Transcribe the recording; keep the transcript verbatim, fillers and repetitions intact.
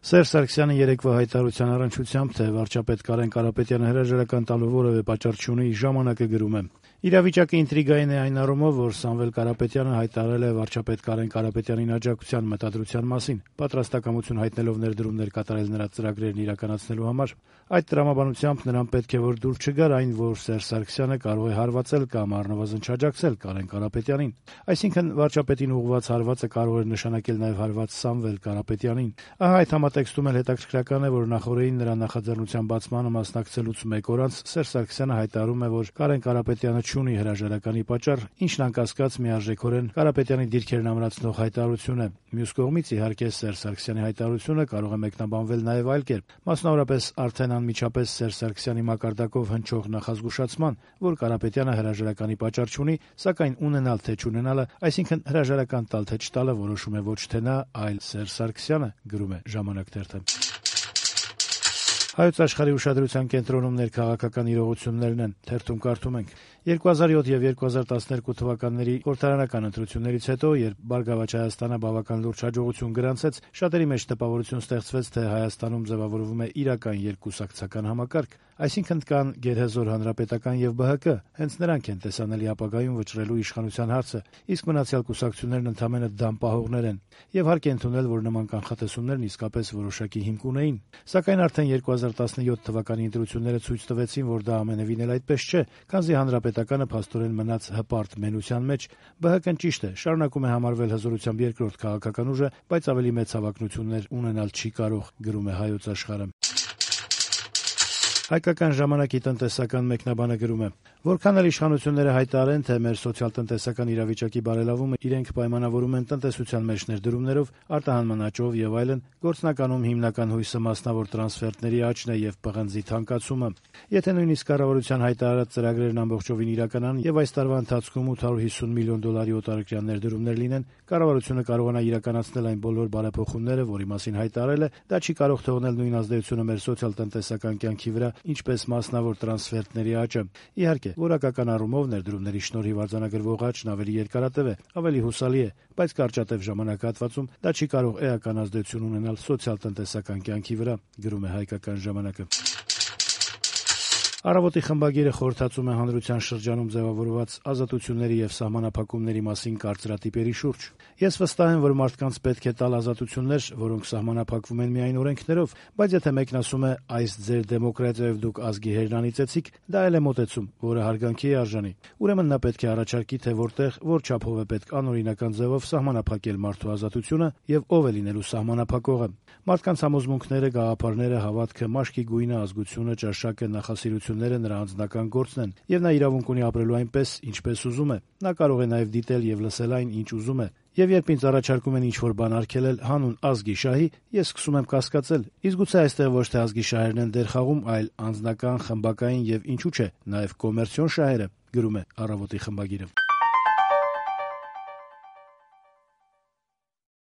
Սերժ Սարգսյանը երեկվա հայտարարության առնչությամբ, թե վարչապետ Կարեն Կարապետյանը հրաժարական տալու որևէ պատճառ չունի, «Ժամանակ»-ը գրում է. «Իրավիճակը ինտրիգային է այն առումով, որ Սամվել Կարապետյանը հայտարարել է վարչապետ Կարեն Կարապետյանին աջակցության մտադրության մասին, պատրաստակամություն հայտնելով ներդրումներ կատարել նրա ծրագրերն իրականացնելու համար։ Այդ տրամաբանությամբ նրան պետք է որ դուր չգար այն, որ Սերժ Սարգսյանը կարող է հարվածել կամ առնվազն չաջակցել Կարեն Կարապետյանին։ Այսինքն վարչապետին ուղղված հարվածը կարող էր նշանակել նաև հարված Սամվել Կարապետյանին։ Ահա այդ համատեքստում էլ հետաքրքրական է, որ նախորդին նրա նախաձեռնության բացմանը մասնակցելուց մեկ օր անց Սերժ Սարգսյանը հայտարարում է, որ Կարեն Կարապետյանը չունի հրաժարականի պատճառ, ինչն անկասկած միարժեքորեն Կարապետյանի դիրքերն ամրացնող հայտարարություն է։ Մյուս կողմից, իհարկե, Սերժ Սարգսյանի հայտարարությունը կարող է մեկնաբանվել նաև այլ կերպ, մասնավորապես արդեն անմիջապես Սերժ Սարգսյանի մակարդակով հնչող նախազգուշացման, որ Կարապետյանը հրաժարականի պատճառ չունի, սակայն ունենալ թե չունենալը, այսինքն հրաժարական տալ թե չտալը որոշում է ոչ թե նա, այլ Սերժ Սարգսյանը, գրում է «Ժամանակ» թերթը»։ Հայոց աշխարհի ուշադրության կենտրոնում ներքաղաքական իրողություններն են, թերթում կարդում ենք. երկու հազար յոթ եւ երկու հազար տասներկու թվականների խորհրդարանական ընտրություններից հետո, երբ Բարգավաճ Հայաստանը բավական լուրջ հաջողություն գրանցեց, շատերի մեջ տպավորություն ստեղծվեց, թե Հայաստանում ձևավորվում է իրական երկկուսակցական համակարգ, այսինքն կան գերհզոր հանրապետական եւ Բ Հ Կ, հենց նրանք են տեսանելի ապագայում վճռելու իշխանության հարցը, իսկ մնացյալ կուսակցություններն ընդամենը դամ պահողներ են, եւ հարկ է ընդունել, որ նման կանխատեսումներն իսկապես որոշակի հիմք ունեին, սակայն արդեն երկու հազար տասնյոթ թվականի ընտրությունները ցույց տվեցին, որ դա ամենևին էլ այդպես չէ, քանզի հանրապետականը փաստորեն մնաց հպարտ մենության մեջ։ Բ Հ Կ-ն ճիշտ է, շարունակում է համարվել հզորությամբ երկրորդ քաղաքական ուժը, բայց ավելի մեծ հավակնություններ ունենալ չի կարող, գրում է Հայոց աշխարհը։ Հայկական ժամանակի տնտեսական մեկնաբանը գրում է. «Որքան էլ իշխանությունները հայտարարեն, թե մեր սոցիալ-տնտեսական իրավիճակի բարելավումը իրենք պայմանավորում են տնտեսության մեջ ներդրումներով, արտահանման աճով եւ այլն, գործնականում հիմնական հույսը մասնավոր տրանսֆերտների աճն է եւ պղնձի թանկացումը։ Եթե նույնիսկ կառավարության հայտարարած ծրագրերն ամբողջովին իրականանան եւ այս տարվա ընթացքում ութ հարյուր հիսուն միլիոն դոլարի օտարերկրյա ներդրումներ լինեն, կառավարությունը կարողանա իրականացնել այն բոլոր բարեփոխումները, որի մասին հայտարարել է, դա չի կարող թողնել նույն ազդեցությունը մեր սոցիալ-տնտեսական կյանքի վրա, ինչպես մասնավոր տրանսֆերտների աճը։ Իհարկե, որակական առումով ներդրումների շնորհիվ արձանագրվող աճն ավելի երկարատև է, ավելի հուսալի է, բայց կարճատև ժամանակահատվածում դա չի կարող էական ազդեցություն ունենալ սոցիալ-տնտեսական կյանքի վրա», գրում է Հայկական ժամանակը։ Առավոտի խմբագիրը խորհրդածում է հանրության շրջանում ձևավորված ազատությունների եւ սահմանափակումների մասին կարծրատիպերի շուրջ։ «Ես վստահ եմ, որ մարդկանց պետք է տալ ազատություններ, որոնք սահմանափակվում են միայն օրենքներով, բայց եթե մեկն ասում է այս ձեր դեմոկրատիայով դուք ազգի հերն անիծեցիք, դա էլ է մոտեցում, որը հարգանքի է արժանի։ Ուրեմն նա պետք է առաջարկի, թե որտեղ, որ չափով է պետք անօրինական ձևով սահմանափակել մարդու ազատությունը եւ ով է լինելու սահմանափակողը։ Մարդկանց համոզմունքները, գաղափարները, հավատքը, մաշկի գույնը, ազգությունը, ճաշակը, նախասիրությունները նրա անձնական գործն են, եւ նա իրավունք ունի ապրելու այնպես, ինչպես ուզում է։ Նա կարող է նաեւ դիտել եւ լսել այն, ինչ ուզում է։ Եվ երբ ինձ առաջարկում են ինչ-որ բան արգելել հանուն ազգի շահի, ես սկսում եմ կասկածել, իսկ գուցե այստեղ ոչ թե ազգի շահերն են դեր խաղում, այլ անձնական, խմբակային եւ ինչու՞ չէ, նաեւ կոմերցիոն շահերը», գրում է Առավոտի խմբագիրը։